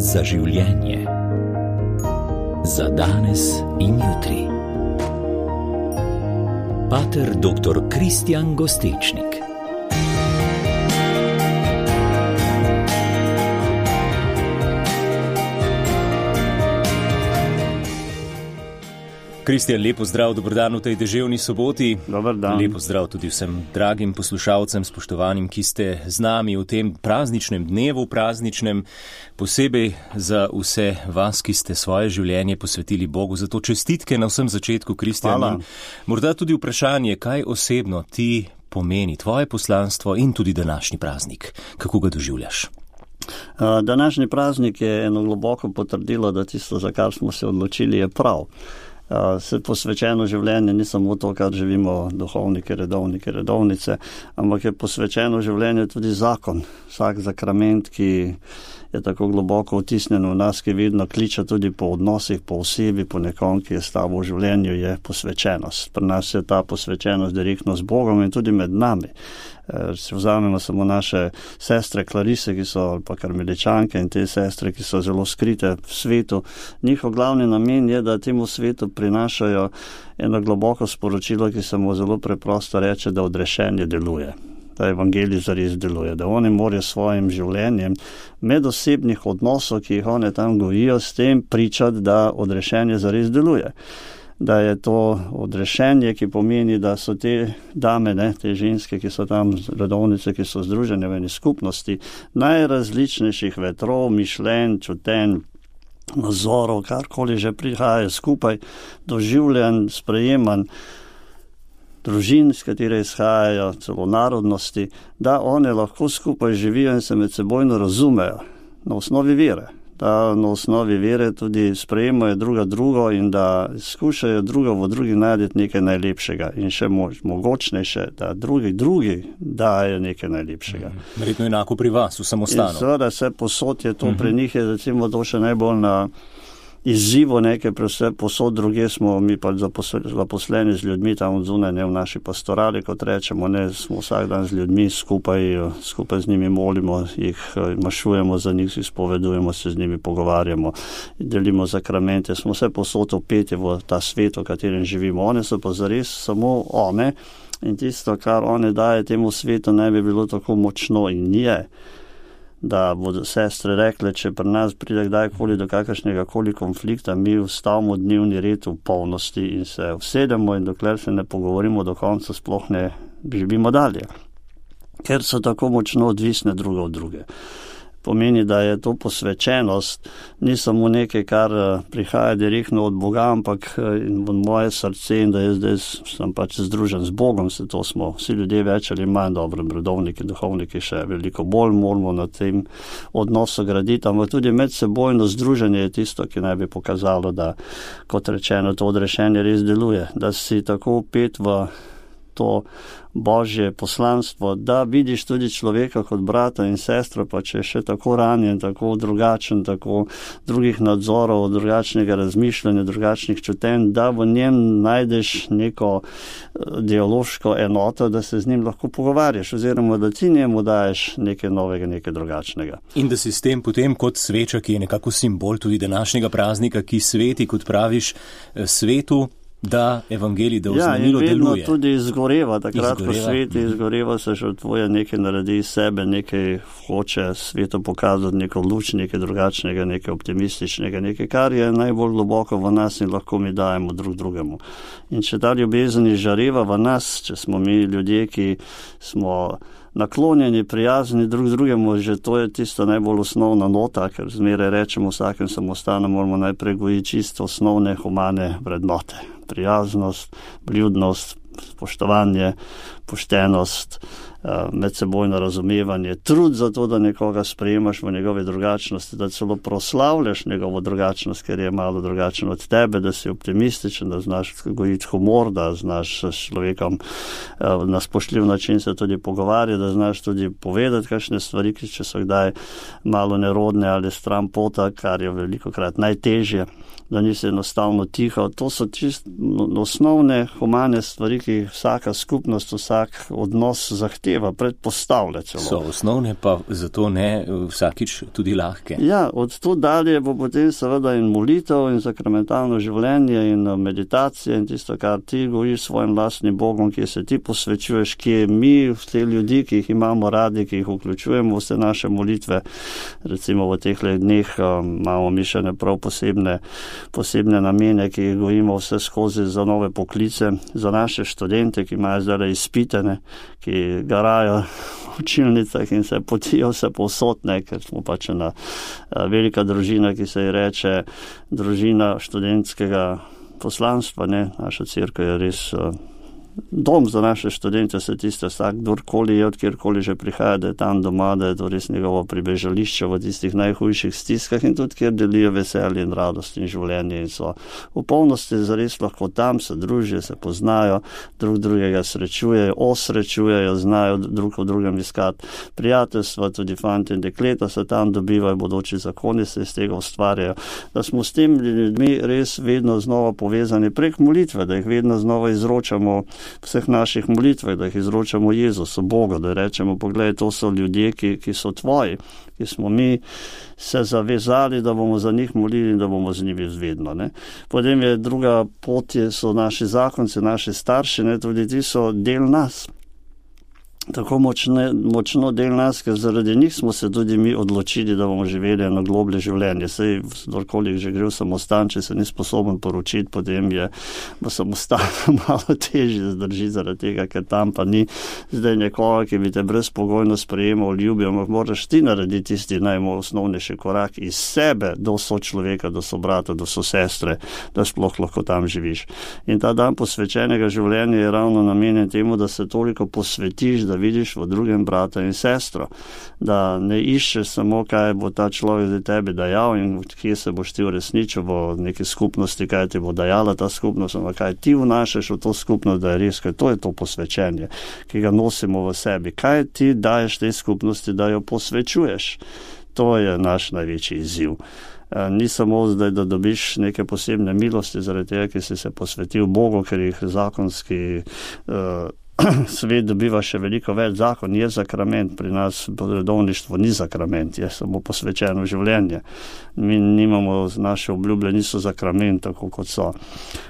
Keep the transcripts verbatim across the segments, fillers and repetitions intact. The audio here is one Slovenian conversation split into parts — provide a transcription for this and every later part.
za življenje. Za danes in jutri. Pater doktor Kristjan Gostečnik. Kristjan, lepo zdrav, dobrodan v tej deževni soboti. Dobar dan. Lepo zdrav tudi vsem dragim poslušalcem, spoštovanim, ki ste z nami v tem prazničnem dnevu, prazničnem, posebej za vse vas, ki ste svoje življenje posvetili Bogu. Zato čestitke na vsem začetku, Kristjan. Morda tudi vprašanje, kaj osebno ti pomeni tvoje poslanstvo in tudi današnji praznik. Kako ga doživljaš? Današnji praznik je eno globoko potrdilo, da tisto, za kar smo se odločili, je prav. Uh, se posvečeno življenje ni samo to, kar živimo duhovniki, redovniki, redovnice, ampak je posvečeno življenje tudi zakon. Vsak zakrament, ki je tako globoko vtisnjen v nas, ki vidno kliče tudi po odnosih, po osebi, po nekom, ki je s tabo v življenju, je posvečenost. Pri nas je ta posvečenost direktno z Bogom in tudi med nami. Si vzamemo samo naše sestre Klarise, ki so ali pa karmeličanke, in te sestre, ki so zelo skrite v svetu. Njihov glavni namen je, da temu svetu prinašajo eno globoko sporočilo, ki se mu zelo preprosto reče, da odrešenje deluje. Da evangelij zares deluje, da oni morajo svojim življenjem medosebnih odnosov, ki jih one tam gojijo, s tem pričati, da odrešenje zares deluje. Da je to odrešenje, ki pomeni, da so te dame, ne, te ženske, ki so tam, redovnice, ki so združene v eni skupnosti, najrazličnejših vetrov, mišljenj, čutenj, nazorov, karkoli že prihaja skupaj, doživljanj, sprejemanj, družin, s katere izhajajo, celo narodnosti, da one lahko skupaj živijo in se med sebojno razumejo na osnovi vere. Da na osnovi vere tudi sprejemajo druga drugo in da skušajo drugo v drugi najti nekaj najlepšega in še moč, mogočnejše, da drugi drugi dajo nekaj najlepšega. Verjetno enako pri vas, v samostanu. In seveda se posod je to, uh-huh. Pri njih je recimo to še najbolj na izzivu nekaj, vse posod druge smo mi pa zaposleni z ljudmi tam od zunaj, ne v naši pastorali, kot rečemo, ne, smo vsak dan z ljudmi skupaj, skupaj z njimi molimo, jih mašujemo za njih, izpovedujemo se z njimi, pogovarjamo, delimo zakramente, smo vse posod opeti v ta svet, v katerem živimo. One so pa zares samo one in tisto, kar one daje temu svetu, ne bi bilo tako močno in je. Da bodo sestre rekle, če pri nas pride kdajkoli do kakršnega koli konflikta, mi vstavimo dnevni red v polnosti in se usedemo in dokler se ne pogovorimo do konca, sploh ne živimo dalje. Ker so tako močno odvisne druga od druge. Pomeni, da je to posvečenost, ni samo nekaj, kar prihaja direktno od Boga, ampak in v moje srce in da je zdaj sem pač združen z Bogom, se to smo vsi ljudje več ali manj dobro, redovniki, duhovniki še veliko bolj moramo na tem odnosu graditi, ampak tudi medsebojno združenje je tisto, ki naj bi pokazalo, da, kot rečeno, to odrešenje res deluje, da si tako upet v to Božje poslanstvo, da vidiš tudi človeka kot brata in sestro, pa če je še tako ranjen, tako drugačen, tako drugih nadzorov, drugačnega razmišljanja, drugačnih čutenj, da v njem najdeš neko dialoško enoto, da se z njim lahko pogovarjaš, oziroma da ti njemu daješ nekaj novega, nekaj drugačnega. In da si s tem potem kot sveča, ki je nekako simbol tudi današnjega praznika, ki sveti, kot praviš, svetu, da evangelij, da oznanilo deluje. Ja, in vedno tudi izgoreva, takrat, ko sveti izgoreva, se žrtvuje, nekaj naredi iz sebe, nekaj hoče svetu pokazati, neko luč, nekaj drugačnega, nekaj optimističnega, nekaj, kar je najbolj globoko v nas in lahko mi dajemo drug drugemu. In če ta ljubezen izžareva v nas, če smo mi ljudje, ki smo naklonjeni, prijazni drug drugemu, že to je tisto najbolj osnovna nota, ker zmeraj rečemo vsakem samostanu, moramo najprej gojiti čisto osnovne humane vrednote. Prijaznost, vljudnost, spoštovanje, poštenost, medsebojno razumevanje, trud za to, da nekoga sprejemaš v njegove drugačnosti, da celo proslavljaš njegovo drugačnost, ker je malo drugačen od tebe, da si optimističen, da znaš gojiti humor, da znaš s človekom na spoštljiv način se tudi pogovarjati, da znaš tudi povedati kakšne stvari, ki če so kdaj malo nerodne ali stran pota, kar je velikokrat najtežje, da nisi enostavno tiho. To so čisto osnovne humane stvari, ki vsaka skupnost, vsak odnos zahteva. zahteva, predpostavlja celo. So osnovne, pa zato ne vsakič tudi lahke. Ja, od tu dalje bo potem seveda in molitev in sakramentalno življenje in meditacija in tisto, kar ti gojiš svojim lastnim Bogom, ki se ti posvečuješ, ki je mi, te ljudi, ki jih imamo radi, ki jih vključujemo v vse naše molitve. Recimo v teh dneh um, imamo mi še ne prav posebne, posebne namene, ki jih gojimo vse skozi za nove poklice, za naše študente, ki imajo zdaj izpitene, ki garajo v učilnicah in se potijo vse povsod, ne, ker smo pač ena velika družina, ki se ji reče družina študentskega poslanstva, ne, naša cerkev je res dom za naše študente, se tiste vsak, kdorkoli je, od kjerkoli že prihaja, da je tam doma, da je to res njegovo pribežališče v tistih najhujših stiskah in tudi kjer delijo veselje in radost in življenje in so v polnosti zares lahko tam, se družijo, se poznajo, drug drugega srečujejo, osrečujejo, znajo drug v drugem iskati prijateljstva, tudi fanti in dekleta se tam dobivajo, bodoči zakoni se iz tega ustvarjajo, da smo s tem ljudmi res vedno znova povezani prek molitve, da jih vedno znova izročamo vseh naših molitvah, da jih izročamo Jezusu, Bogu, da rečemo, poglej, to so ljudje, ki, ki so tvoji, ki smo mi se zavezali, da bomo za njih molili in da bomo z njimi vedno. Ne. Potem je druga pot, so naši zakonci, naši starši, ne, tudi ti so del nas. Tako močne, močno del nas, ker zaradi njih smo se tudi mi odločili, da bomo živeli eno globlje življenje. Sej, kdorkoli že gre v samostan, če se ni sposoben poročiti, potem je v samostanu malo težje zdržiti zaradi tega, ker tam pa ni zdaj nekoga, ki bi te brezpogojno sprejemal, ljubil, ampak moraš ti narediti tisti najosnovnejši korak iz sebe do sočloveka, do sobrata, do sosestre, da sploh lahko tam živiš. In ta dan posvečenega življenja je ravno namenjen temu, da se toliko posvetiš, da vidiš v drugem brata in sestro, da ne iščeš samo, kaj bo ta človek za tebe dajal in kje se boš ti uresničil v neki skupnosti, kaj ti bo dajala ta skupnost, ampak kaj ti vnašaš v to skupnost, da je res, kaj to je to posvečenje, ki ga nosimo v sebi. Kaj ti daješ tej skupnosti, da jo posvečuješ? To je naš največji izziv. Ni samo zdaj, da dobiš neke posebne milosti zaradi tega, ki si se posvetil Bogu, ker jih zakonski uh, svet dobiva še veliko več. Zakon je sakrament, pri nas redovništvo ni sakrament, je samo posvečeno življenje. Mi nimamo, naše obljube niso sakrament, tako kot so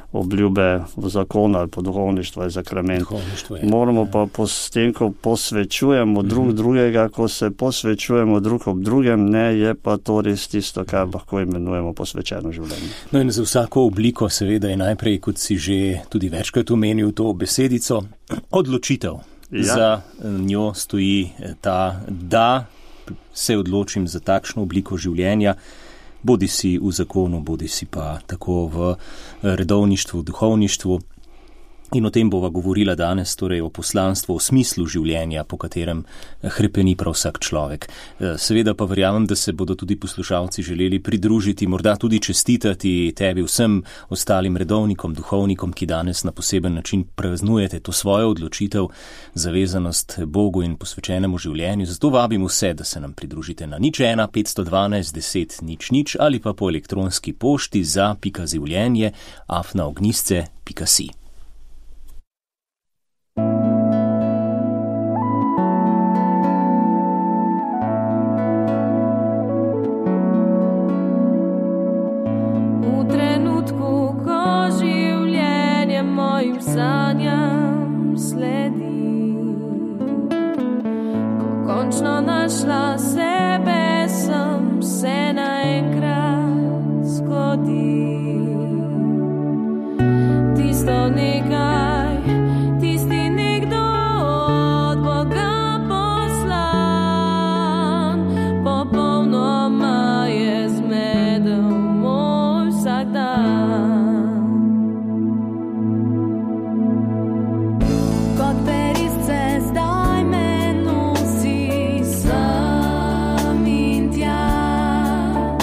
obljube v zakonu ali po duhovništvu je sakrament. Je, Moramo ja. pa s tem, ko posvečujemo drug mm-hmm. drugega, ko se posvečujemo drug ob drugem, ne, je pa to res tisto, kar lahko imenujemo posvečeno življenje. No in za vsako obliko seveda je najprej, kot si že tudi večkrat omenil to besedico, odločitev. Ja. Za njo stoji ta, da se odločim za takšno obliko življenja, bodi si v zakonu, bodi si pa tako v redovništvu, duhovništvu. In o tem bova govorila danes, torej o poslanstvu, o smislu življenja, po katerem hrepeni prav vsak človek. Seveda pa verjamem, da se bodo tudi poslušalci želeli pridružiti, morda tudi čestitati tebi vsem ostalim redovnikom, duhovnikom, ki danes na poseben način praznujete to svojo odločitev, zavezanost Bogu in posvečenemu življenju. Zato vabim vse, da se nam pridružite na nič ena petsto dvanajst deset nič nič ali pa po elektronski pošti za pika življenje afna ognjisce pika si. Sanjam sledi, ko končno našla sebe, sem se naenkrat zgodi. Tisto nekaj, tisti nekdo od Boga poslan, popolnoma je zmedel moj vsak dan. Zdaj me nosi sem in tja.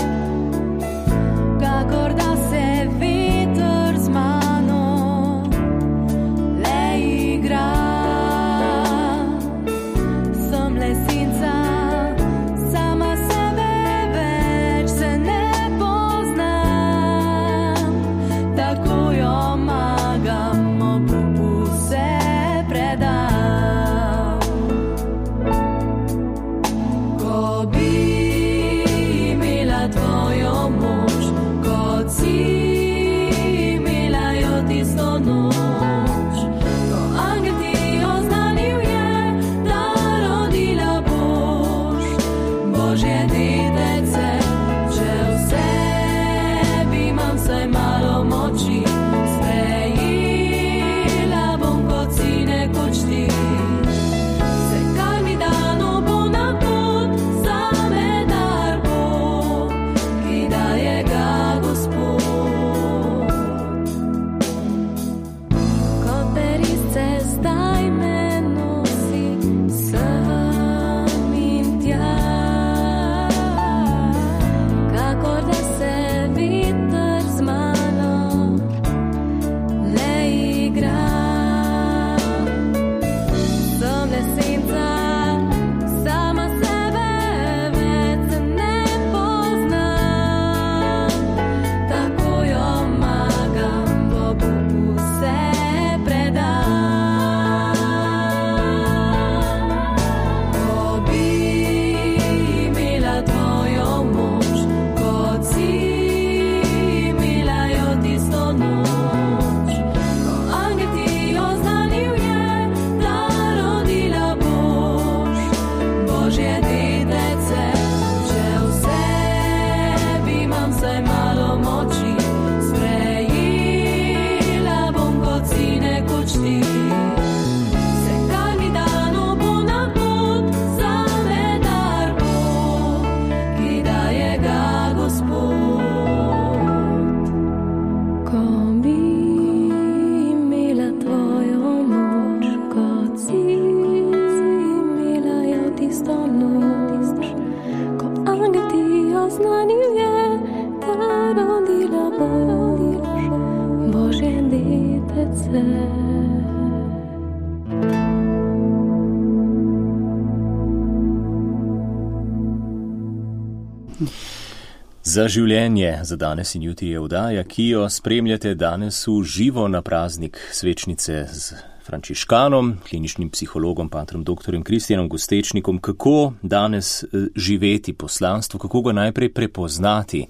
Za življenje za danes in jutri je oddaja, ki jo spremljate danes v živo na praznik svečnice z frančiškanom, kliničnim psihologom, patrom doktorjem Kristijanom Gostečnikom. Kako danes živeti poslanstvo, kako ga najprej prepoznati?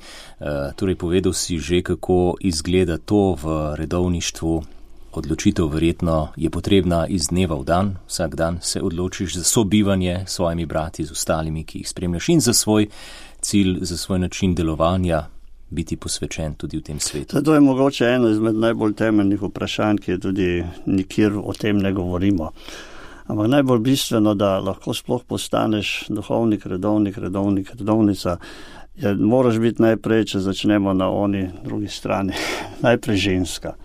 Torej, povedal si že, kako izgleda to v redovništvu. Odločitev verjetno je potrebna iz dneva v dan. Vsak dan se odločiš za sobivanje s svojimi brati, z ostalimi, ki jih spremljaš, in za svoj cilj, za svoj način delovanja, biti posvečen tudi v tem svetu. To je mogoče eno izmed najbolj temeljnih vprašanj, ki je tudi nikjer o tem ne govorimo. Ampak najbolj bistveno, da lahko sploh postaneš duhovnik, redovnik, redovnik, redovnica, je, moraš biti najprej, če začnemo na oni drugi strani, najprej ženska.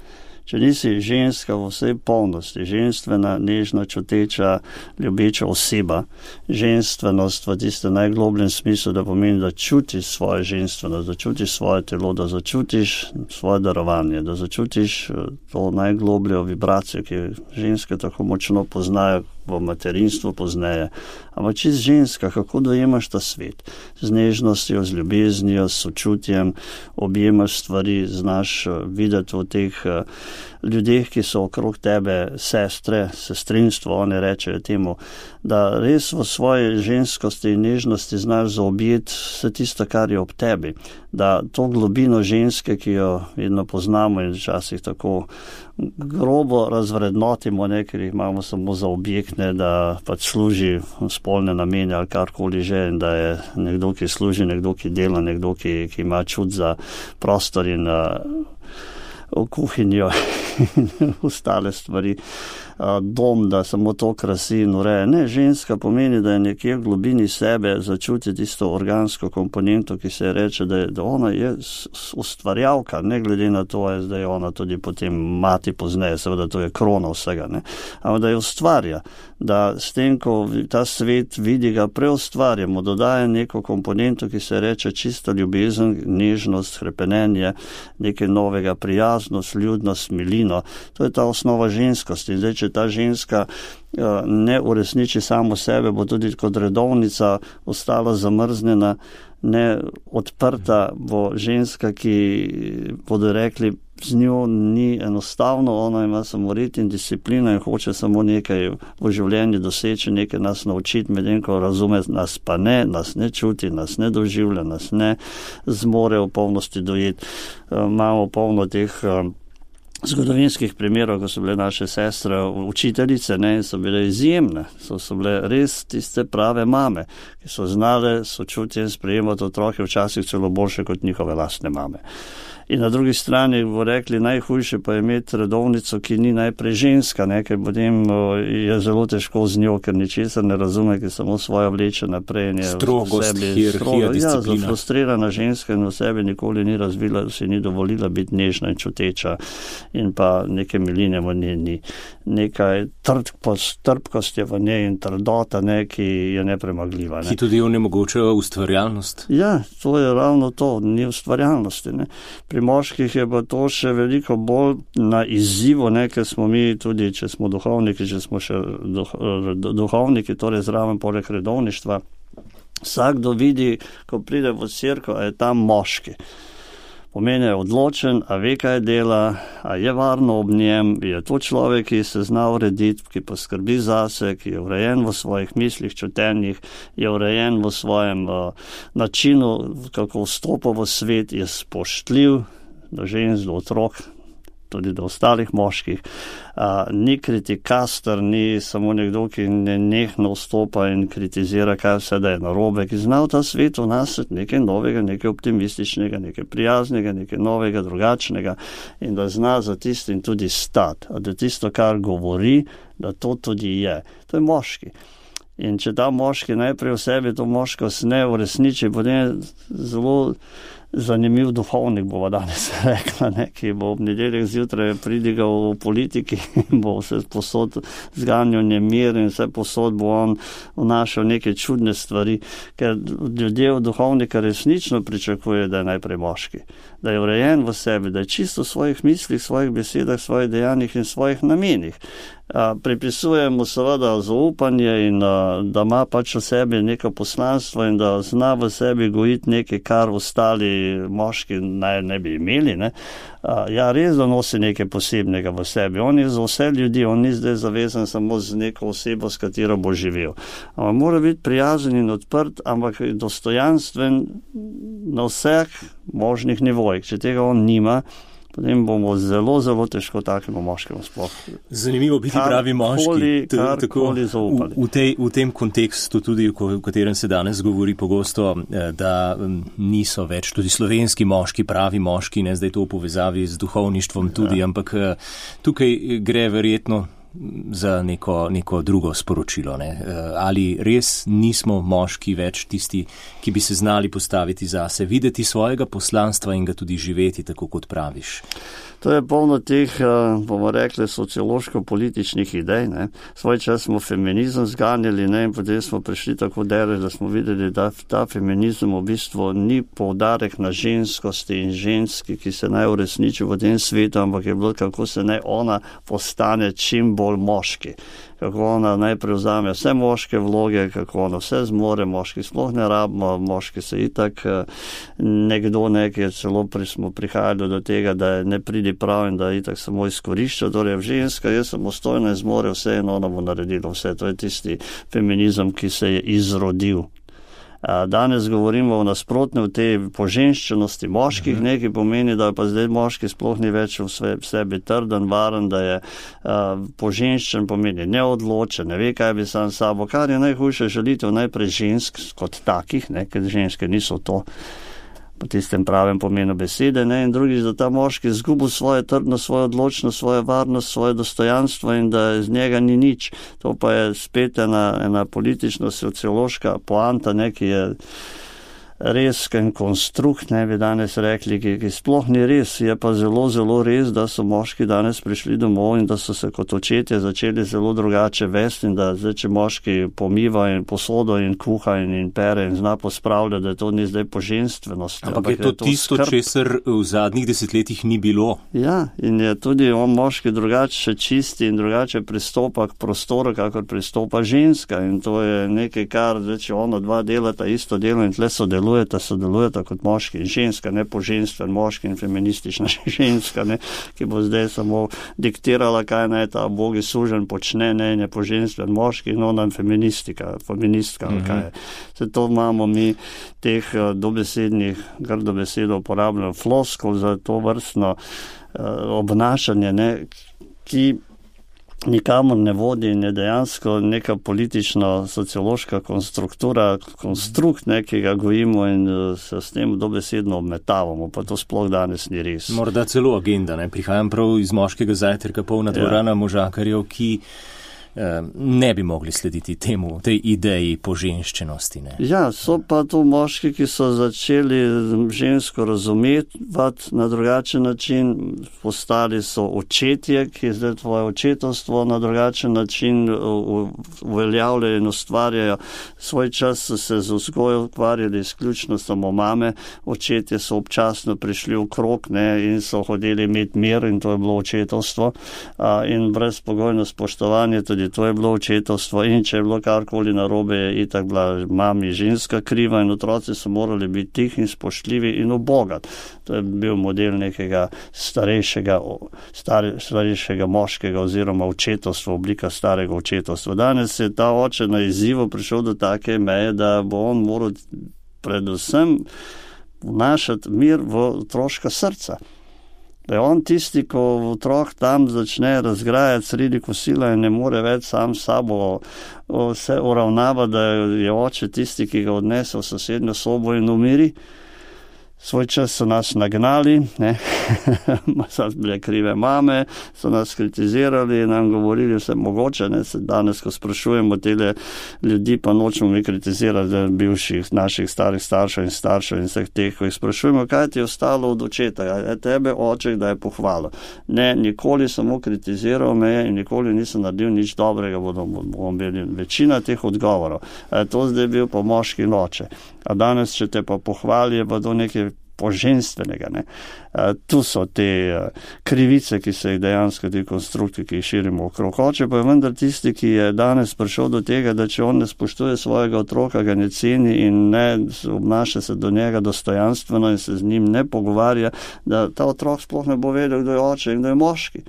Če nisi ženska v vsej polnosti, ženstvena, nežna, čuteča, ljubeča oseba, ženstvenost v tistem najglobljem smislu, da pomeni, da čutiš svojo ženstvenost, da čutiš svoje telo, da začutiš svoje darovanje, da začutiš to najglobljo vibracijo, ki ženske tako močno poznajo v materinstvu pozneje. Ampak čist ženska, kako dojemaš ta svet? Z nežnostjo, z ljubeznijo, s sočutjem, objemaš stvari, znaš videti v teh ljudeh, ki so okrog tebe, sestre, sestrinstvo, one rečejo temu, da res v svoji ženskosti in nežnosti znaš zaobjeti vse tisto, kar je ob tebi. Da to globino ženske, ki jo vedno poznamo in včasih tako grobo razvrednotimo, ne, ker jih imamo samo za objektne, da pač služi spolne namene ali karkoli že, in da je nekdo, ki služi, nekdo, ki dela, nekdo, ki, ki ima čut za prostor in v kuhinjo in ostale stvari, dom, da samo to krasi in ureje. Ne, ženska pomeni, da je nekje v globini sebe začuti tisto organsko komponento, ki se reče, da, je, da ona je ustvarjalka, ne glede na to, je zdaj ona tudi potem mati pozneje, seveda to je krona vsega, ne, ampak da je ustvarja, da s tem, ko ta svet vidi, ga preustvarjamo, dodaja neko komponento, ki se reče čista ljubezen, nežnost, hrepenenje, nekaj novega, prijaznost, ljudnost, milino. To je ta osnova ženskosti. Zdaj, če ta ženska ne uresniči samo sebe, bo tudi kot redovnica ostala zamrznjena, ne odprta, bo ženska, ki bodo rekli, z njo ni enostavno, ona ima samo rit in disciplino in hoče samo nekaj v življenju doseči, nekaj nas naučiti, medtem ko razume, nas pa ne, nas ne čuti, nas ne doživlja, nas ne zmore v polnosti dojeti. Imamo polno teh zgodovinskih primerov, ko so bile naše sestre učiteljice, ne, so bile izjemne, so, so bile res tiste prave mame, ki so znale sočutje sprejemati otroke, včasih celo boljše kot njihove lastne mame. In na drugi strani bo rekli, najhujše pa je imeti redovnico, ki ni najprej ženska, ne, ker potem je zelo težko z njo, ker ničesar ne razume, ki samo svojo vleče naprej. Strogost, hierarhija, disciplina. Ja, zafrustrirana ženska in v sebi nikoli ni razvila, si ni dovolila biti nežna in čuteča in pa neke miline v njej ni. Nekaj trpkost je v njej in trdota, ne, ki je nepremagljiva. Ne. Ki tudi onemogočajo ustvarjalnost. Ja, to je ravno to, ni ustvarjalnosti. Ne. Pri moških je pa to še veliko bolj na izzivu, ne, ker smo mi tudi, če smo duhovniki, če smo še duh, duhovniki, torej zraven poleg redovništva, vsakdo vidi, ko pride v cerkev, a je tam moški. Pomeni je odločen, a ve, kaj dela, a je varno ob njem, je to človek, ki se zna urediti, ki poskrbi zase, ki je urejen v svojih mislih, čutenjih, je urejen v svojem uh, načinu, kako vstopa v svet, je spoštljiv do žensk, do otrok, tudi do ostalih moških. A, ni kritikaster, ni samo nekdo, ki nenehno vstopa in kritizira, kaj vse da je narobe, ki zna v ta svet vnasiti nekaj novega, nekaj optimističnega, nekaj prijaznega, nekaj novega, drugačnega in da zna za tistim tudi stati. A da tisto, kar govori, da to tudi je. To je moški. In če ta moški najprej v sebi to moškost ne uresniči, potem je zelo zanimiv duhovnik, bova danes rekla, ne, ki bo ob nedeljah zjutraj pridigal v politiki in bo vse posod zganjal nemir in vse posod bo on vnašal neke čudne stvari, ker ljudje od duhovnika resnično pričakuje, da je najprej moški, da je urejen v sebi, da je čisto v svojih mislih, svojih besedah, svojih dejanjih in svojih namenih. Pripisujemo seveda zaupanje in da ima pač v sebi neko poslanstvo in da zna v sebi gojiti nekaj, kar ostali moški naj ne bi imeli. Ne? Ja, res da nosi nekaj posebnega v sebi. On je za vse ljudi, on ni zdaj zavezan samo z neko osebo, s katero bo živel. Ampak mora biti prijazen in odprt, ampak dostojanstven na vseh možnih nivojih. Če tega on nima, potem bomo zelo, zelo težko takemu moškemu sploh. Zanimivo biti pravi moški. Karkoli zaupali. V, v, tej, v tem kontekstu tudi, v katerem se danes govori pogosto, da niso več tudi slovenski moški pravi moški, ne zdaj to v povezavi z duhovništvom tudi, ja. Ampak tukaj gre verjetno za neko, neko drugo sporočilo. Ne? Ali res nismo moški več tisti, ki bi se znali postaviti zase, videti svojega poslanstva in ga tudi živeti, tako kot praviš? To je polno teh, bomo rekli, sociološko-političnih idej. Ne. Svoj čas smo feminizem zganjali, ne, in potem smo prišli tako daleč, da smo videli, da ta feminizem v bistvu ni poudarek na ženskosti in ženski, ki se naj uresniči v tem svetu, ampak je bilo, kako se naj ona postane čim bolj moški. Kako ona naj prevzame vse moške vloge, kako ona vse zmore, moški sploh ne rabimo, moški se itak nekdo nekaj, celo pri smo prihajali do tega, da ne pridi prav in da itak samo izkorišča, torej ženska je samostojna in zmore vse in ona bo naredila vse. To je tisti feminizem, ki se je izrodil. Danes govorimo o nasprotne, v tej poženščenosti moških, nekaj pomeni, da pa zdaj moški sploh ni več v sebi trden, varen, da je uh, poženščen, pomeni neodločen, ne ve, kaj bi sam sabo, kar je najhujše želitev najprej žensk kot takih, ne, ker ženske niso to po tistem pravem pomenu besede, ne, in drugič, da ta moški izgubil svojo trdnost, svojo odločnost, svojo varnost, svoje dostojanstvo in da iz njega ni nič. To pa je spet ena, ena politično-sociološka poanta, ne, ki je res konstrukt, ne bi danes rekli, ki, ki sploh ni res, je pa zelo, zelo res, da so moški danes prišli domov in da so se kot očetje začeli zelo drugače vesti in da zdaj, če moški pomiva in posodo in kuha in, in pere in zna pospravlja, da to ni zdaj poženstvenost. Ampak, ampak je to, je to tisto, skrb. Česar v zadnjih desetletjih ni bilo. Ja, in je tudi on moški drugače čisti in drugače pristopa k prostoru, kakor pristopa ženska in to je nekaj, kar zdaj, če ono dva delata isto delo in tle sodeluje, Sodelujeta, sodelujeta kot moški in ženska, ne poženstven moški in feministična ženska, ne, ki bo zdaj samo diktirala, kaj naj ta bogi sužen počne, ne, ne poženstven moški in ona feministika, feministka, uh-huh. kaj je. Se to imamo mi teh dobesednih, grdo besedo uporabljamo, floskov za to vrstno uh, obnašanje, ne, ki nikamor ne vodi in je dejansko neka politična, sociološka konstruktura, konstrukt, ne, ki ga gojimo in se s tem dobesedno obmetavamo, pa to sploh danes ni res. Morda celo agenda, ne, prihajam prav iz moškega zajtrka, polna dvorana ja. možakarjev, ki ne bi mogli slediti temu, tej ideji poženščenosti. Ne? Ja, so pa tu moški, ki so začeli žensko razumeti na drugačen način, postali so očetje, ki zdaj tvoje očetovstvo na drugačen način uveljavljajo in ustvarjajo. Svoj čas so se z vzgojo ukvarjali izključno samo mame, očetje so občasno prišli v krog, ne, in so hodili imeti mir in to je bilo očetovstvo in brezpogojno spoštovanje tudi to je bilo očetovstvo in če je bilo karkoli narobe, je itak bila mami ženska kriva in otroci so morali biti tihi in spoštljivi in ubogati. To je bil model nekega starejšega, star, starejšega moškega oziroma očetovstva, oblika starega očetovstva. Danes je ta oče na izzivu prišel do take meje, da bo on moral predvsem vnašati mir v otroška srca. Da je on tisti, ko otrok tam začne razgrajati sredi kosila in ne more več sam sabo vse uravnava, da je oče tisti, ki ga odnese v sosednjo sobo in umiri. Svoj čas so nas nagnali, ne, so bile krive mame, so nas kritizirali in nam govorili vse mogoče, ne, se danes, ko sprašujemo tele ljudi, pa nočemo mi kritizirati bivših naših starih staršev in staršev in vseh teh, ko jih sprašujemo, kaj ti je ostalo od očeta, je tebe oče, da je pohvalil. Ne, nikoli samo kritiziral me in nikoli nisem naredil nič dobrega, bomo imeli večina teh odgovorov. To zdaj bil pa moški oče. A danes, če te pa pohvali, je pa to nekaj poženstvenega. Ne. Uh, tu so te uh, krivice, ki se jih dejansko, te konstrukti, ki jih širimo okrog. Hoče pa je vendar tisti, ki je danes prišel do tega, da če on ne spoštuje svojega otroka, ga ne ceni in ne obnaša se do njega dostojanstveno in se z njim ne pogovarja, da ta otrok sploh ne bo vedel, kdo je oče in kdo je moški.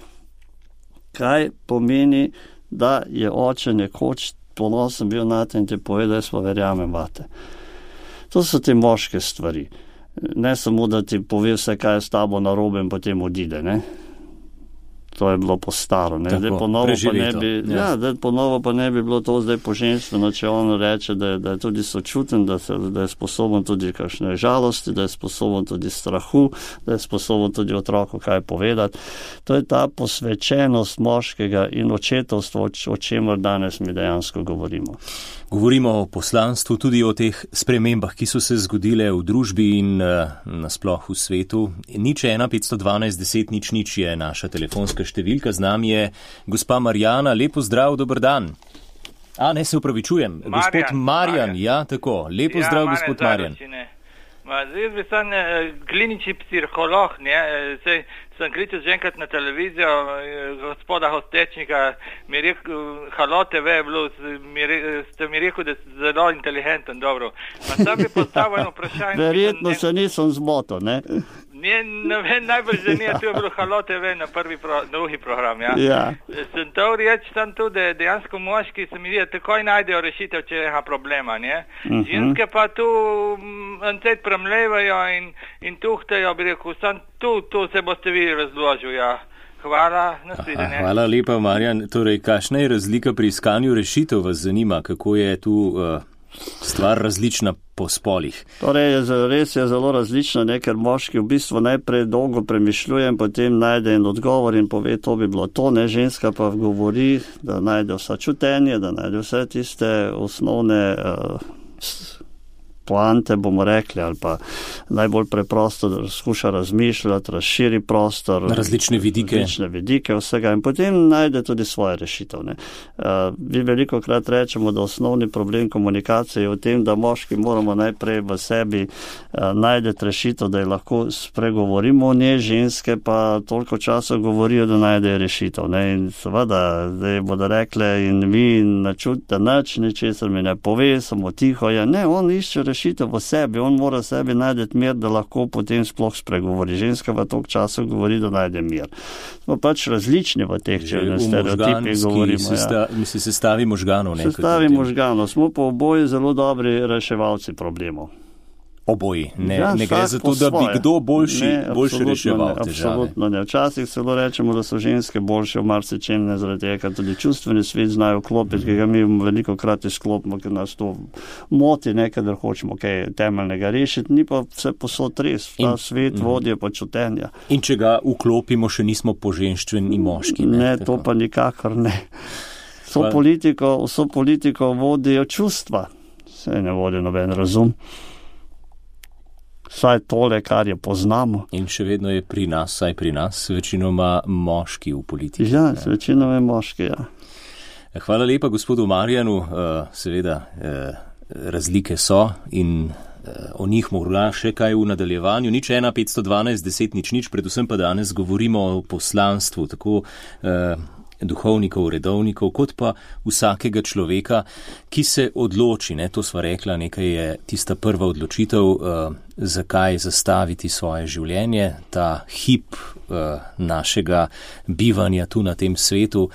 Kaj pomeni, da je oče nekoč ponosen bil na te in ti pove, da jaz pa verjamem vate. To so te moške stvari. Ne samo, da ti pove vse, kaj je s tabo narobe in potem odide, ne. To je bilo po staro, ne. Zdaj ponovo pa ne bi, ja, zdaj ponovo pa ne bi bilo to zdaj poženstveno, če on reče, da je, da je tudi sočuten, da, se, da je sposoben tudi kakšne žalosti, da je sposoben tudi strahu, da je sposoben tudi otroku kaj povedati. To je ta posvečenost moškega in očetovstvo, o čemer danes mi dejansko govorimo. Govorimo o poslanstvu, tudi o teh spremembah, ki so se zgodile v družbi in uh, nasploh v svetu. Nič ena petsto dvanajst deset nič nič je naša telefonska številka. Z nami je gospa Marjana. Lepo zdrav, dober dan. A, ne se upravičujem. Marjan, gospod Marjan, Marjan. Ja, tako. Lepo ja, zdrav, Marjan, gospod Marjan. Ma, zdaj bi sem eh, klinični psiholog, ne, sej sem kličil že enkrat na televizijo, eh, gospoda Hostečnika, mi je rekel, Halo T V je bilo, mi re, ste mi rekel, da ste zelo inteligenten, dobro. Ma sam bi postavil eno vprašanje. Verjetno se nisem zmotil, ne? Ne, ne vem, najbolj zanimivo, tu je bilo Halo T V na prvi pro, drugi program, ja. Ja. Sem to reči tam tudi, da dejansko moški se mi zdi, da takoj najdejo rešitev, če je problema, ne. Mhm. Ženske pa tu ancet premlevajo in, in tuhtajo, bi rekel, sam tu, tu se boste vi razložil, ja. Hvala, nasvidenje. Hvala lepa, Marjan. Torej, kakšna je razlika pri iskanju rešitev, vas zanima, kako je tu uh, stvar različna po spolih? Torej, res je zelo različno, ne, ker moški v bistvu najprej dolgo premišljuje in potem najde en odgovor in pove, to bi bilo to, ne, ženska pa govori, da najde vsa čutenje, da najde vse tiste osnovne uh, poante, bomo rekli, ali pa najbolj preprosto, da skuša razmišljati, razširi prostor. Različne vidike. Različne vidike vsega in potem najde tudi svoje rešitev. Ne. Uh, vi veliko krat rečemo, da osnovni problem komunikacije je v tem, da moški moramo najprej v sebi uh, najdeti rešitev, da je lahko spregovorimo o njej, ženske pa toliko časa govorijo, da najdejo rešitev. Ne. In seveda, zdaj bodo rekle in vi načutite nič, ničesar mi ne pove, samo tiho je. Ne, on išče rešitev v sebi, on mora sebi najdeti mir, da lahko potem sploh spregovori. Ženska v toliko časa govori, da najde mir. Smo pač različni v teh, če na stereotipih govorimo. Sesta, ja. Mislim, sestavi možganov. Ne, sestavi možganov. Smo pa oboji zelo dobri reševalci problemov. Oboji. Ne, ja, ne gre za to, da bi kdo boljši, ne, boljši reševal ne, težave. Absolutno ne. Včasih celo rečemo, da so ženske boljše v marsičem, ne zaradi tega, ker tudi čustveni svet znajo klopiti, ki ga mi veliko krat izklopimo, ker nas to moti, ne, kadar hočemo kaj temeljnega rešiti, ni pa vse posod res. Ta in, svet mm. vodijo pa čutenja. In če ga vklopimo, še nismo poženštveni moški. Ne, ne to pa nikakor ne. Vso politiko, vso politiko vodijo čustva. Se ne vodi noben razum. Saj tole, kar je poznamo. In še vedno je pri nas, saj pri nas, večinoma moški v politiki. Ja, večinoma je moški, ja. Hvala lepa gospodu Marjanu, seveda razlike so in o njih morda še kaj v nadaljevanju. Nič ena petsto dvanajst deset nič nič, predvsem pa danes govorimo o poslanstvu, tako duhovnikov, redovnikov, kot pa vsakega človeka, ki se odloči, ne, to sva rekla, nekaj je tista prva odločitev, uh, zakaj zastaviti svoje življenje, ta hip uh, našega bivanja tu na tem svetu,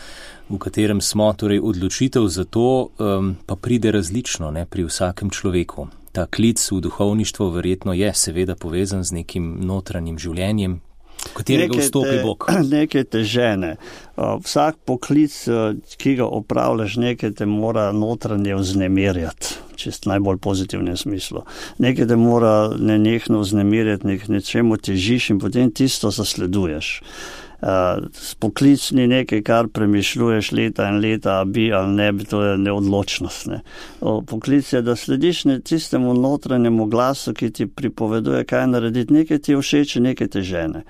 v katerem smo, torej odločitev za to um, pa pride različno, ne, pri vsakem človeku. Ta klic v duhovništvo verjetno je seveda povezan z nekim notranjim življenjem, katerega vstopi Bog. Nekaj te žene. Vsak poklic, ki ga opravljaš, nekaj te mora notranje vznemirjati, čist najbolj pozitivnem smislu. Nekaj te mora nenehno vznemirjati, nek nečemu težiš in potem tisto zasleduješ. Poklic ni nekaj, kar premišljuješ leta in leta, bi ali ne bi, to je neodločnost. Ne. Poklic je, da slediš tistemu notranjemu glasu, ki ti pripoveduje, kaj narediti. Nekaj ti je všeč, nekaj te žene.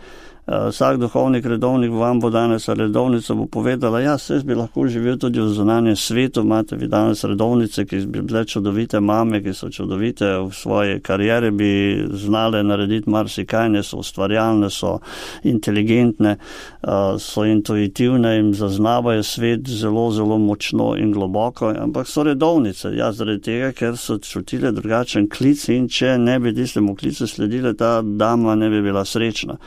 Vsak duhovnik, redovnik vam bo danes ali redovnica bo povedala, ja, jaz bi lahko živel tudi v zunanjem svetu, imate vi danes redovnice, ki bi bile čudovite mame, ki so čudovite v svoje karijere, bi znale narediti marsikaj, ne so ustvarjalne, so inteligentne, so intuitivne in zaznavajo svet zelo, zelo močno in globoko, ampak so redovnice, ja, zaradi tega, ker so čutile drugačen klic in če ne bi tistemu klicu sledile, ta dama ne bi bila srečna.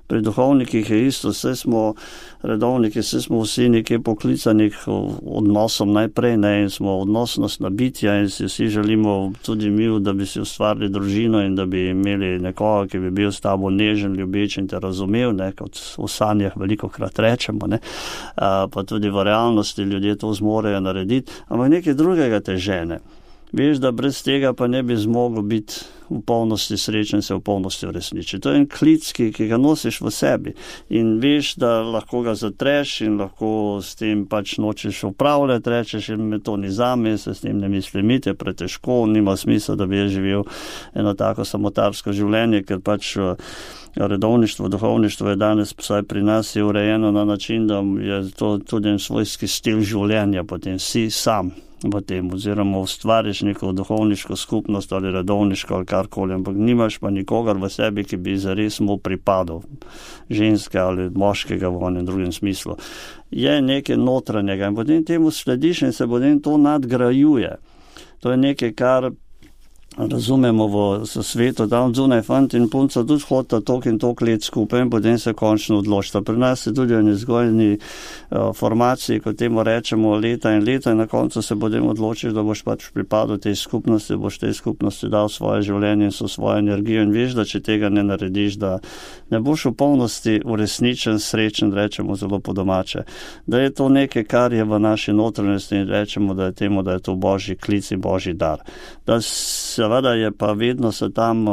Pri duhovnikih je isto, vse smo redovniki, vse smo vsi nekje poklicani k odnosom najprej, ne, in smo odnosnostna bitja in si vsi želimo tudi mi, da bi si ustvarili družino in da bi imeli nekoga, ki bi bil s tabo nežen, ljubeč in te razumel, ne, kot v sanjah veliko krat rečemo, ne, pa tudi v realnosti ljudje to zmorejo narediti, ampak nekaj drugega te žene. Veš, da brez tega pa ne bi zmogel biti v polnosti srečen, se v polnosti uresniči. To je en klic, ki, ki ga nosiš v sebi in veš, da lahko ga zatreš in lahko s tem pač nočeš upravljati, rečeš, in me to ni zame, se s tem ne mislim, je pretežko, nima smisla, da bi je živel eno tako samotarsko življenje, ker pač redovništvo, duhovništvo je danes, vsaj pri nas, je urejeno na način, da je to tudi en svojski stil življenja, potem si sam v tem, oziroma ustvariš neko duhovniško skupnost ali redovniško ali karkoli, ampak nimaš pa nikogar v sebi, ki bi zares mu pripadal, ženske ali moškega v onem drugem smislu. Je nekaj notranjega in potem temu slediš in se potem to nadgrajuje. To je nekaj, kar razumemo v svetu, tam zunaj fant in punca tudi hodita tok in tok let skupaj in potem se končno odločita. Pri nas je tudi v nezgojni uh, formaciji, ko temu rečemo leta in leta in na koncu se potem odločiš, da boš pač pripadal tej skupnosti, boš tej skupnosti dal svoje življenje in so svojo energijo in veš, da če tega ne narediš, da ne boš v polnosti uresničen, srečen, rečemo zelo po domače. Da je to nekaj, kar je v naši notranjosti in rečemo, da je temu, da je to božji klic in božji dar. Da seveda je pa vedno se tam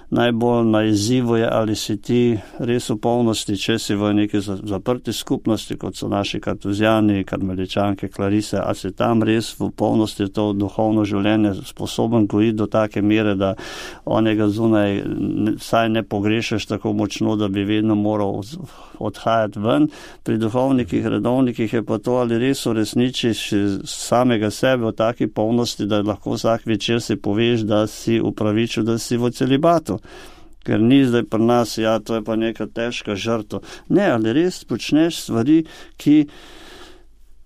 najbolj na izzivu je, ali si ti res v polnosti, če si v neki zaprti skupnosti, kot so naši kartuzijani, karmeličanke, klarise, ali si tam res v polnosti to duhovno življenje sposoben gojiti do take mere, da onega zunaj saj ne pogrešaš tako močno, da bi vedno moral odhajati ven. Pri duhovnikih, redovnikih je pa to, ali res uresničiš samega sebe v taki polnosti, da lahko vsak večer si poveš, da si upravičil, da si v celibatu. Ker ni zdaj pri nas, ja, to je pa neka težka žrtva. Ne, ali res počneš stvari, ki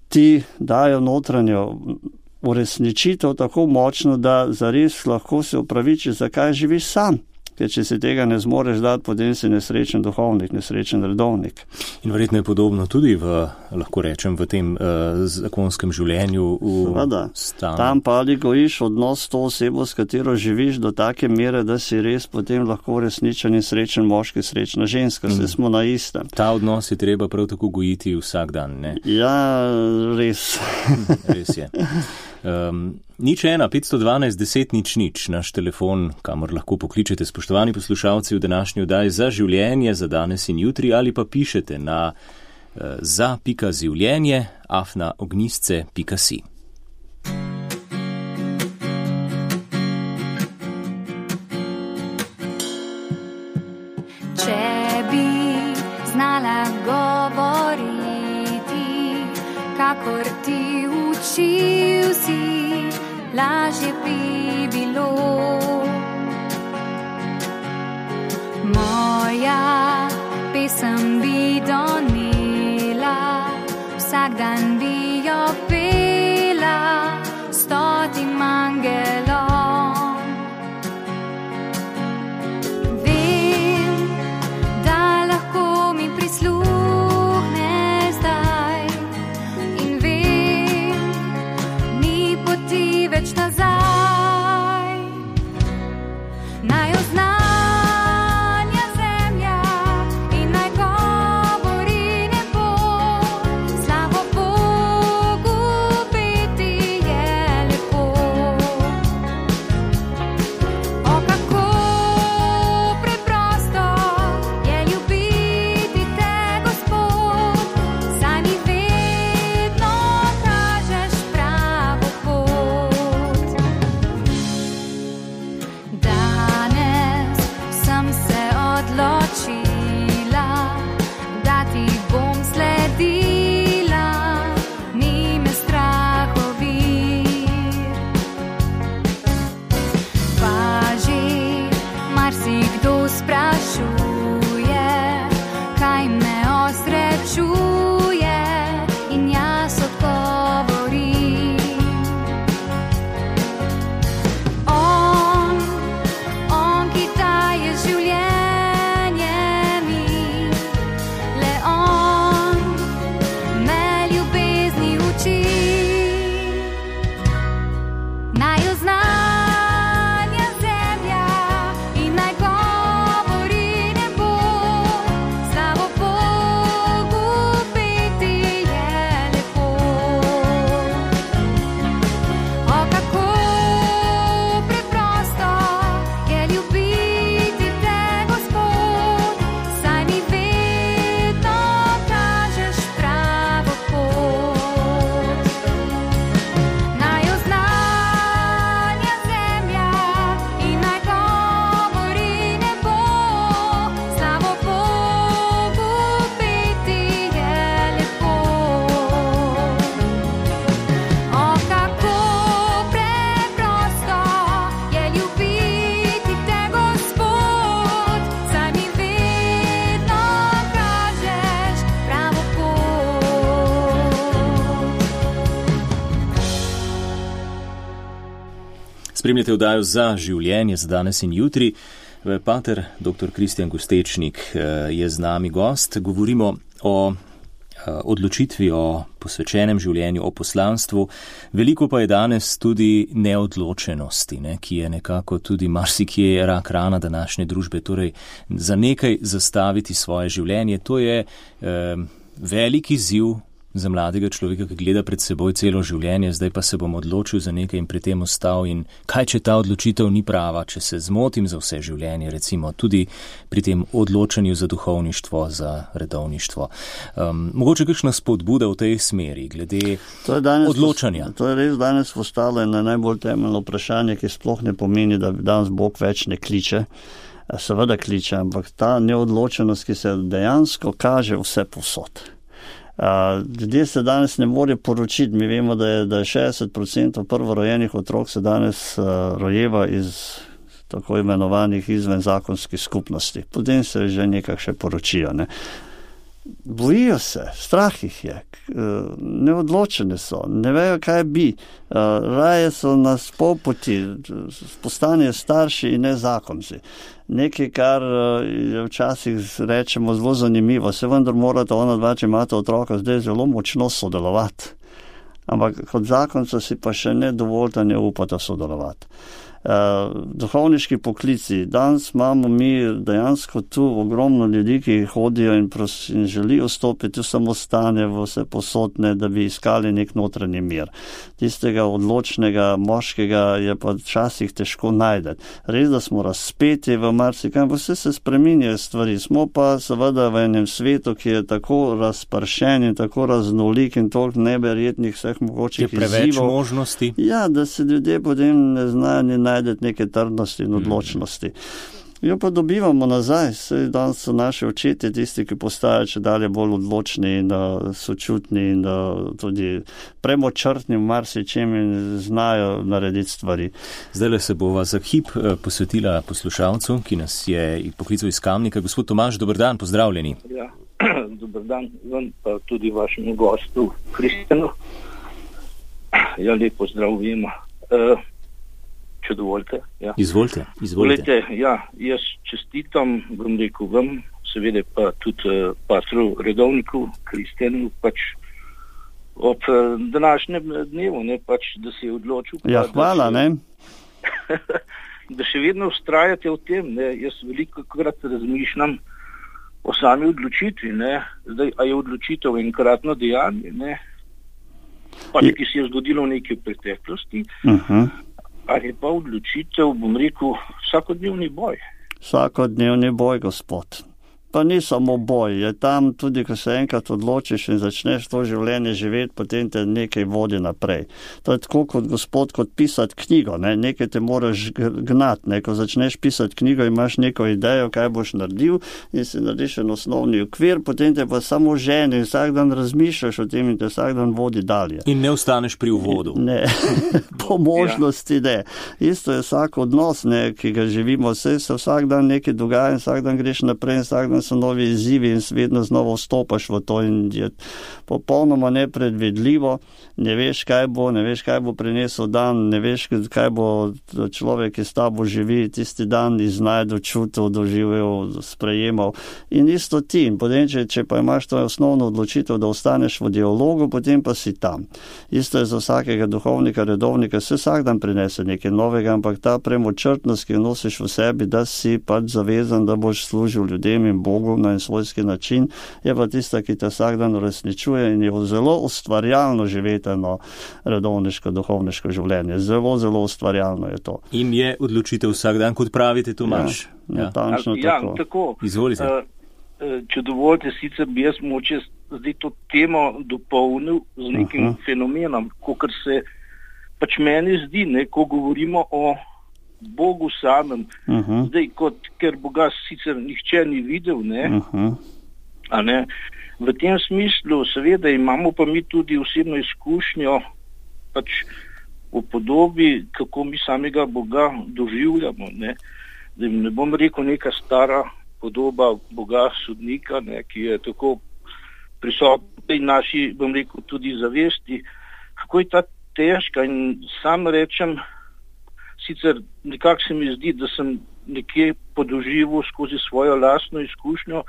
ti dajo notranjo uresničitev tako močno, da zares lahko se upravičiš, zakaj živiš sam. Ker če si tega ne zmoreš dati, potem si nesrečen duhovnik, nesrečen redovnik. In verjetno je podobno tudi v, lahko rečem, v tem uh, zakonskem življenju v stanu. Tam pa ali gojiš odnos s to osebo, s katero živiš do take mere, da si res potem lahko resničen in srečen moški, srečna ženska. Vse mm. smo na istem. Ta odnos je treba prav tako gojiti vsak dan, ne? Ja, res. Res je. Um, nič ena, petsto dvanajst, deset, nič, nič, naš telefon, kamor lahko pokličete, spoštovani poslušalci, v današnji oddaji Za življenje, za danes in jutri, ali pa pišete na uh, za pika življenje afna ognjisce pika si. Če bi znala govoriti, kakor ti učil si, lažje bi bilo. Moja pesem bi donela, vsak dan bi jo pela stotim angelom. Vem, da lahko mi prisluhne zdaj in vem, ni poti več nazaj. Naj oznanja zemlja in naj govori nebo, slavo Bogu. Spremljate oddajo Za življenje za danes in jutri. Pater doktor Kristjan Gostečnik je z nami gost. Govorimo o odločitvi, o posvečenem življenju, o poslanstvu. Veliko pa je danes tudi neodločenosti, ne, ki je nekako tudi marsikje rak rana današnje družbe. Torej, za nekaj zastaviti svoje življenje, to je eh, velik izziv za mladega človeka, ki gleda pred seboj celo življenje, zdaj pa se bom odločil za nekaj in pri tem ostal. In kaj, če ta odločitev ni prava, če se zmotim za vse življenje, recimo tudi pri tem odločanju za duhovništvo, za redovništvo. Um, mogoče kakšna spodbuda v tej smeri, glede to danes, odločanja? To je res danes postalo eno najbolj temeljno vprašanje, ki sploh ne pomeni, da danes Bog več ne kliče. Seveda kliče, ampak ta neodločenost, ki se dejansko kaže vse povsod. Uh, ljudje se danes ne morejo poročiti. Mi vemo, da je, da je šestdeset procentov prvorojenih otrok se danes uh, rojeva iz tako imenovanih izvenzakonskih skupnosti. Potem se že nekak še poročijo. Ne? Bojijo se, strah jih je, neodločeni so, ne vejo, kaj bi. Raje so na spolpoti, postanejo starši in ne zakonci. Nekaj, kar je včasih rečemo zelo zanimivo, se vendar morate ona dva, če imate otroka, zdaj zelo močno sodelovati. Ampak kot zakonca si pa še ne dovolj, ne upata sodelovati. Uh, duhovniški poklici. Danes imamo mi dejansko tu ogromno ljudi, ki hodijo in, pros, in želijo stopiti v samostane, v vse posodne, da bi iskali nek notranji mir. Tistega odločnega moškega je pa včasih težko najdeti. Res, da smo razpeti v marsikaj, vse se spreminjajo stvari. Smo pa seveda v enem svetu, ki je tako razpršen in tako raznolik in toliko neverjetnih vseh mogočih izzivov. Je preveč možnosti. Ja, da se ljudje potem ne znajo ni najdeti neke trdnosti in odločnosti. Jo pa dobivamo nazaj, saj danes so naši očetje tisti, ki postajajo če dalje bolj odločni in uh, sočutni in uh, tudi premočrtni v marsičem in znajo narediti stvari. Zdaj se bova za hip posvetila poslušalcu, ki nas je poklical iz Kamnika. Gospod Tomaž, dober dan, pozdravljeni. Ja, dober dan, vam pa tudi vašemu gostu Kristjanu. Ja, lep pozdrav vima. Uh, Če dovolite. Ja. Izvolite, izvolite. Volite, ja, jaz čestitam, bom rekel vam, seveda pa tudi uh, patru redovniku, Kristjanu, pač ob uh, današnjem dnevu, ne, pač, da se je odločil. Ja, pa, hvala, da še, ne? da še vedno vztrajate v tem, ne, jaz veliko krat razmišljam o sami odločitvi, ne, zdaj, a je odločitev enkratno dejanje, ne, pač, ki se je zgodilo v neki preteklosti, uh-huh. Ali pa odločitev, bom rekel, vsakodnevni boj. Vsakodnevni boj, gospod. Pa ni samo boj, je tam tudi, ko se enkrat odločiš in začneš to življenje živeti, potem te nekaj vodi naprej. To je tako kot gospod, kot pisati knjigo, ne? Nekaj te moraš gnati, ne? Ko začneš pisati knjigo, imaš neko idejo, kaj boš naredil in si narediš en osnovni okvir, potem te pa samo ženi in vsak dan razmišljaš o tem in te vsak dan vodi dalje. In ne ostaneš pri uvodu. Ne, po možnosti ne. Isto je vsak odnos, ne, ki ga živimo, vse se vsak dan nekaj dogaja in vsak dan greš naprej in vsak dan so novi izzivi in vedno znova vstopaš v to in je popolnoma nepredvidljivo, ne veš, kaj bo, ne veš, kaj bo prinesel dan, ne veš, kaj bo človek, ki s tabo živi, tisti dan iznajdel, čutil, doživel, sprejemal in isto ti. In potem, če, če pa imaš to osnovno odločitev, da ostaneš v dialogu, potem pa si tam. Isto je za vsakega duhovnika, redovnika, se vsak dan prinese nekaj novega, ampak ta premočrtnost, ki jo nosiš v sebi, da si pač zavezan, da boš služil ljudem in Bogu na en svojski način, je pa tista, ki te vsak dan uresničuje in je zelo ustvarjalno živeti eno redovniško, duhovniško življenje. Zelo, zelo ustvarjalno je to. In je odločitev vsak dan, kot pravite, Tomaž. Ja, natančno ja, tako. tako. Izvolite. Uh, če dovolite, sicer bi jaz moče zdaj to temo dopolnil z nekim uh-huh. fenomenom, kot se pač meni zdi, ne, ko govorimo o Bogu samem, uh-huh. zdaj, kot, ker Boga sicer nihče ni videl, ne, uh-huh. a ne, v tem smislu seveda imamo pa mi tudi osebno izkušnjo pač v podobi, kako mi samega Boga doživljamo, ne, da ne bom rekel neka stara podoba Boga sodnika, ne, ki je tako prisotna in naši, bom rekel, tudi zavesti, kako je ta težka in sam rečem, sicer nekako se mi zdi, da sem nekje podoživel skozi svojo lastno izkušnjo,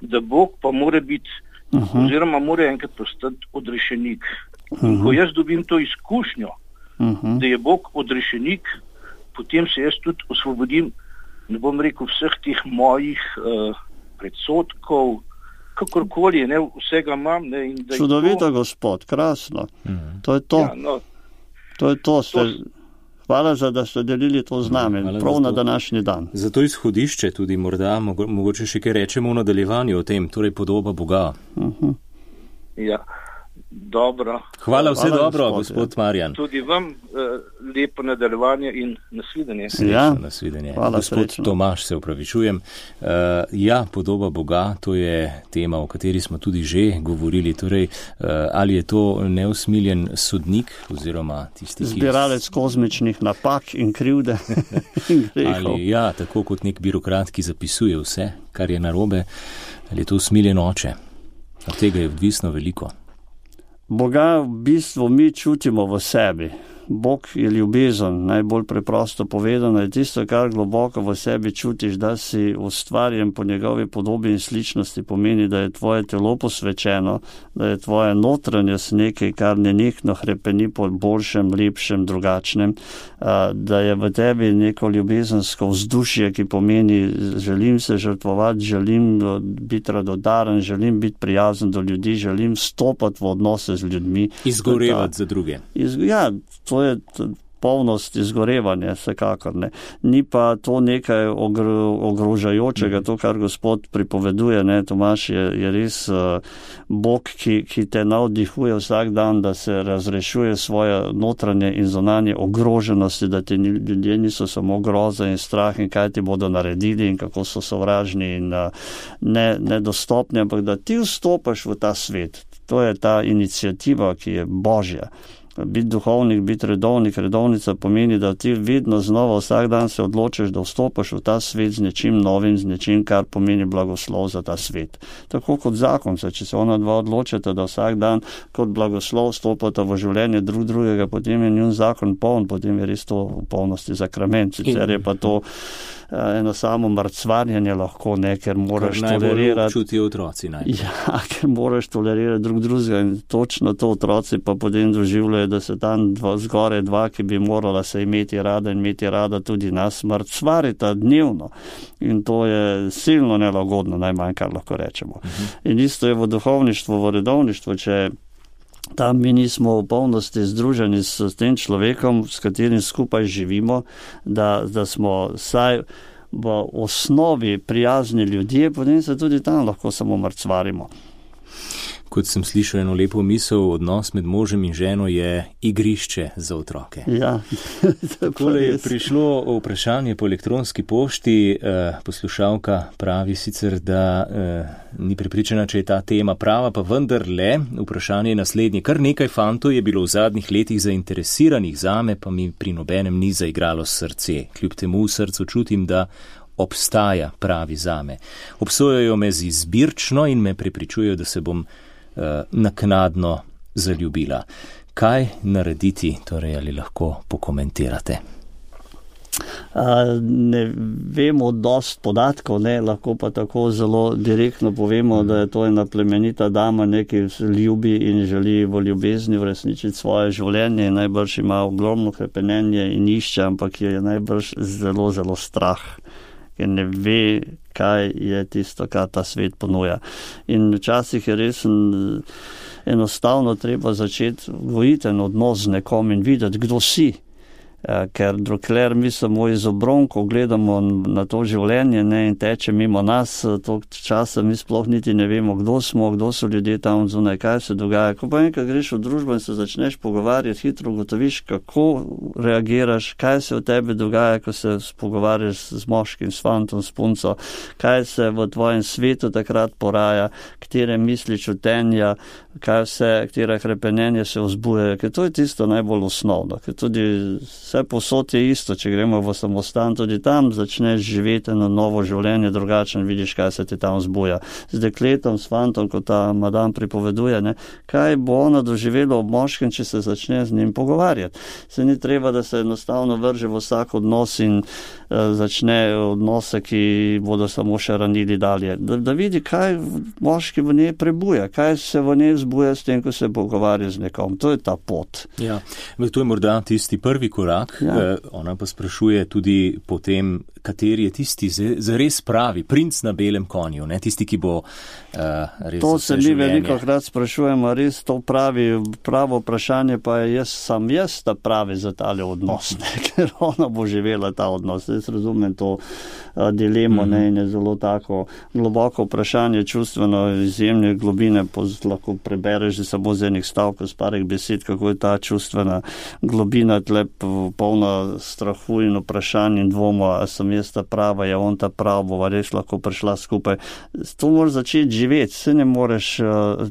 da Bog pa mora biti, uh-huh. oziroma mora enkrat postati odrešenik. Uh-huh. Ko jaz dobim to izkušnjo, uh-huh. da je Bog odrešenik, potem se jaz tudi osvobodim, ne bom rekel vseh teh mojih uh, predsotkov, kakorkoli, ne, vsega imam. Ne, in da Čudovito, to... gospod, krasno. Uh-huh. To je to. Ja, no, to je to. Ste... to... Hvala za, da ste delili to z nami, Hvala prav za na to. današnji dan. Za to izhodišče tudi morda, mogo, mogoče še kaj rečemo v nadaljevanju o tem, torej podoba Boga. Uh-huh. Ja, dobro. Hvala, vse Hvala, dobro, gospod, gospod Marjan. Tudi vam uh, lepo nadaljevanje in nasvidenje. Ja. Nasvidenje. Hvala, Gospod srečno. Tomaž, se upravičujem. Uh, ja, podoba Boga, to je tema, o kateri smo tudi že govorili. Torej, uh, ali je to neusmiljen sodnik oziroma tisti, ki... Zbiralec kozmičnih napak in krivde in grehov. Ali, ja, tako kot nek birokrat, ki zapisuje vse, kar je narobe, ali je to usmiljen oče. Od tega je odvisno veliko. Boga v bistvu mi čutimo v sebi. Bog je ljubezen, najbolj preprosto povedano, je tisto, kar globoko v sebi čutiš, da si ustvarjen po njegovi podobi in sličnosti, pomeni, da je tvoje telo posvečeno, da je tvoje notranjost nekaj, kar nenehno hrepeni po boljšem, lepšem, drugačnem, da je v tebi neko ljubezensko vzdušje, ki pomeni, želim se žrtvovati, želim biti radodaren, želim biti prijazen do ljudi, želim stopati v odnose z ljudmi. Izgorevati za druge. Iz, ja, to je polnost izgorevanja, vsekakor ne. Ni pa to nekaj ogro, ogrožajočega, to, kar gospod pripoveduje, ne, Tomaž, je, je res uh, Bog, ki, ki te navdihuje vsak dan, da se razrešuje svoje notranje in zunanje ogroženosti, da ti ljudje niso samo groza in strah in kaj ti bodo naredili in kako so sovražni in uh, ne, nedostopni, ampak da ti vstopaš v ta svet. To je ta iniciativa, ki je Božja. Biti duhovnik, biti redovnik, redovnica pomeni, da ti vedno znova vsak dan se odločiš, da vstopaš v ta svet z nečim novim, z nečim, kar pomeni blagoslov za ta svet. Tako kot zakonca, če se ona dva odločita, da vsak dan kot blagoslov vstopata v življenje drug drugega, potem je njun zakon poln, potem je res to v polnosti sakrament. Sicer je pa to eno samo mrcvarjanje lahko, ne, ker moraš tolerirati. Čutijo otroci najbolj. Ja, ker moraš tolerirati drug drugega in točno to otroci pa potem doživljajo, da se tam dva, zgore dva, ki bi morala se imeti rada in imeti rada tudi nas, mrcvarita dnevno. In to je silno nelagodno, najmanj, kar lahko rečemo. Uh-huh. In isto je v duhovništvu, v redovništvu, če tam mi nismo v polnosti združeni s tem človekom, s katerim skupaj živimo, da, da smo saj v osnovi prijazni ljudje, potem se tudi tam lahko samo mrcvarimo. Kot sem slišal eno lepo misel, odnos med možem in ženo je igrišče za otroke. Ja. Takole je prišlo vprašanje po elektronski pošti. Poslušalka pravi sicer, da ni prepričana, če je ta tema prava, pa vendar le. Vprašanje je naslednje. Kar nekaj fantov je bilo v zadnjih letih zainteresiranih zame, pa mi pri nobenem ni zaigralo srce. Kljub temu v srcu čutim, da obstaja pravi zame. Obsojajo me z izbirčno in me prepričujejo, da se bom naknadno zaljubila. Kaj narediti, torej ali lahko pokomentirate? A, ne vemo dost podatkov, ne, lahko pa tako zelo direktno povemo, da je to ena plemenita dama, ki ljubi in želi v ljubezni uresničiti svoje življenje in najbrž ima ogromno hrepenenje in išče, ampak je najbrž zelo, zelo strah, ker ne ve, kaj je tisto, kar ta svet ponuja. In včasih je res enostavno treba začeti gojiti en odnos z nekom in videti, kdo si. Ker dokler mi samo iz obronkov gledamo na to življenje, ne, in teče mimo nas, toliko časa mi sploh niti ne vemo, kdo smo, kdo so ljudje tam zunaj, kaj se dogaja. Ko pa enkrat greš v družbo in se začneš pogovarjati, hitro ugotoviš, kako reagiraš, kaj se v tebi dogaja, ko se pogovarjaš z moškim, s fantom, s punco, kaj se v tvojem svetu takrat poraja, katere misli čutenja, kaj vse, katera hrepenenja se vzbujajo, ker to je tisto najbolj osnovno, ker tudi Vse posod je isto, če gremo v samostan, tudi tam začneš živeti na novo življenje, drugačen, vidiš, kaj se ti tam zbuja. Z dekletom, s fantom, kot ta madam pripoveduje, ne, kaj bo ona doživela ob moškem, če se začne z njim pogovarjati. Se ni treba, da se enostavno vrže v vsak odnos in uh, začne odnose, ki bodo samo še ranili dalje. Da, da vidi, kaj moški v njej prebuja, kaj se v njej zbuja s tem, ko se pogovarja z nekom. To je ta pot. Ja, to je morda tisti prvi korak. Ja. Eh, ona pa sprašuje tudi potem, kateri je tisti zares pravi, princ na belem konju, ne? Tisti, ki bo uh, res to vse se mi življenje. veliko krat sprašujemo, res to pravi, pravo vprašanje pa je, jaz sam jaz ta pravi za tale odnos, ne? Ker ona bo živela ta odnos. Jaz razumem to uh, dilemo, mm-hmm. ne? In je zelo tako globoko vprašanje, čustveno izjemne globine, poz, lahko prebereš že samo z enih stavkov, z parih besed, kako je ta čustvena globina tle polna strahu in vprašanj in dvoma, a sem jaz ta prava, je on ta prav, bova res lahko prišla skupaj. To moraš začeti živeti, se ne moreš uh,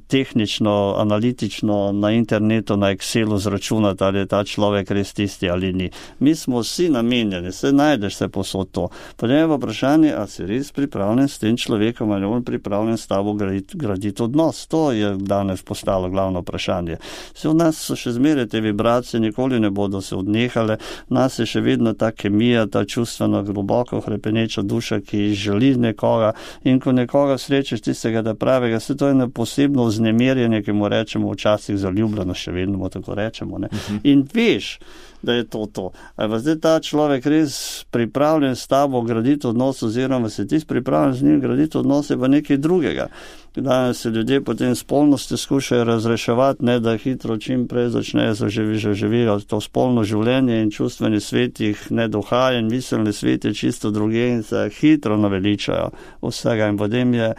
tehnično, analitično na internetu, na Excelu zračunati, ali je ta človek res tisti ali ni. Mi smo vsi namenjeni, se najdeš se posod to. Potem je vprašanje, a si res pripravljen s tem človekom, ali on pripravljen s tabo graditi, graditi odnos. To je danes postalo glavno vprašanje. Se v nas so še zmeraj te vibracije, nikoli ne bodo se odnehale, nas je še vedno ta kemija, ta čustvena globoko hrepeneča duša, ki želi nekoga, in ko nekoga srečeš tistega da pravega, se to je eno posebno vznemirjenje, ki mu rečemo včasih zaljubljeno, še vedno mu tako rečemo, ne. Uh-huh. In veš, da je to to. A je zdaj ta človek res pripravljen s tabo graditi odnos, oziroma se ti pripravljen z njim graditi odnos, je pa nekaj drugega. Danes se ljudje potem spolnosti skušajo razreševati, ne, da hitro čim prej začnejo zaživijo to spolno življenje in čustveni svet jih ne dohaja in miselni svet je čisto druge in se hitro naveličajo vsega in potem je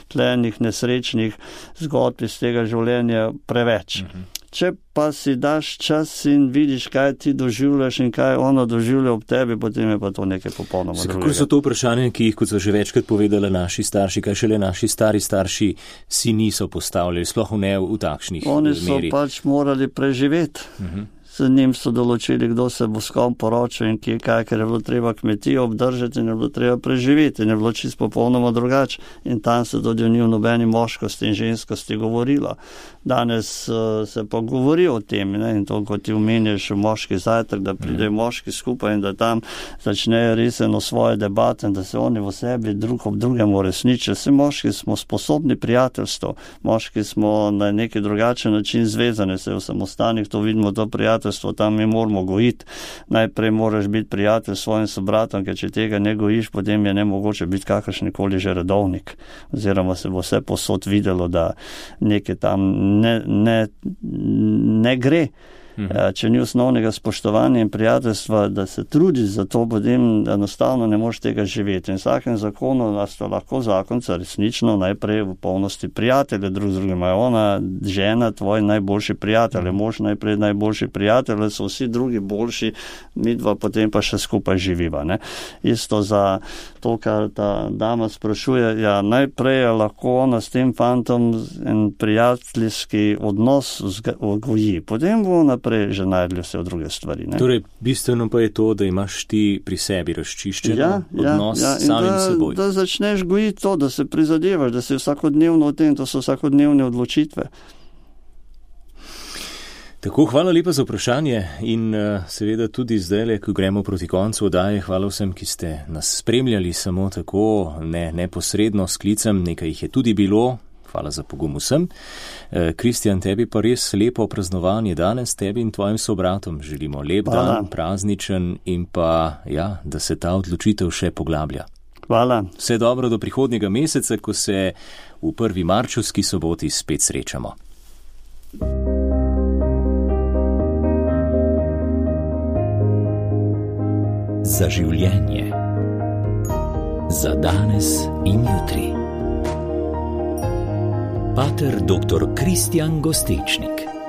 tlenih nesrečnih zgodb iz tega življenja preveč. Mhm. Če pa si daš čas in vidiš, kaj ti doživljaš in kaj ono doživlja ob tebi, potem je pa to nekaj popolnoma drugega. Kako so to vprašanje, ki jih, kot so že večkrat povedali naši starši, kaj šele naši stari starši si niso postavljali, sploh ne v takšnih meri? Oni so pač morali preživeti. Uh-huh. Z njim so določili, kdo se bo s kom poročil in kje kaj, ker je bilo treba kmetijo obdržati in je bilo treba preživeti in je bilo čisto popolnoma drugače. In tam se tudi ni v nobeni moškosti in ženskosti govorilo. Danes uh, se pa govori o tem, ne? In to, kot ti omenjaš moški zajtrk, da pridejo moški skupaj in da tam začnejo reseno svoje debate in da se oni v sebi drug ob drugemu resničijo. Vsi moški smo sposobni prijateljstvo, moški smo na neki drugačen način zvezani, se v samostanih to vidimo, to prijateljstvo, tam mi moramo gojiti. Najprej moraš biti prijatelj s svojim sobratom, ker če tega ne gojiš, potem je nemogoče biti kakršnikoli že redovnik. Oziroma se bo vse posod videlo, da nekaj tam ne, ne, ne gre. Mhm. Če ni osnovnega spoštovanja in prijateljstva, da se trudiš za to, potem enostavno ne moreš tega živeti. In vsakem zakonu, da sta lahko zakonca resnično najprej v polnosti prijatelje, drug z drugim. Je ona, žena, tvoj najboljši prijatelj, mož najprej najboljši prijatelj, so vsi drugi boljši, mi dva potem pa še skupaj živiva. Ne? Isto za to, kar ta dama sprašuje, ja, najprej je lahko ona s tem fantom en prijateljski odnos goji. Potem bo naprej že najdli vse v druge stvari. Ne? Torej, bistveno pa je to, da imaš ti pri sebi razčiščen ja, odnos ja, ja. samim da, seboj. Da začneš gojiti to, da se prizadevaš, da si vsakodnevno v tem, to so vsakodnevne odločitve. Tako, hvala lepa za vprašanje in uh, seveda tudi zdaj, ko gremo proti koncu oddaje, hvala vsem, ki ste nas spremljali samo tako, ne neposredno s klicem, nekaj jih je tudi bilo. Hvala za pogum vsem. Kristjan, tebi pa res lepo praznovanje danes, tebi in tvojim sobratom. Želimo lep Hvala. Dan, prazničen in pa, ja, da se ta odločitev še poglablja. Hvala. Vse dobro do prihodnjega meseca, ko se v prvi marčevski soboti spet srečamo. Za življenje. Za danes in jutri. Pater doktor Kristjan Gostečnik.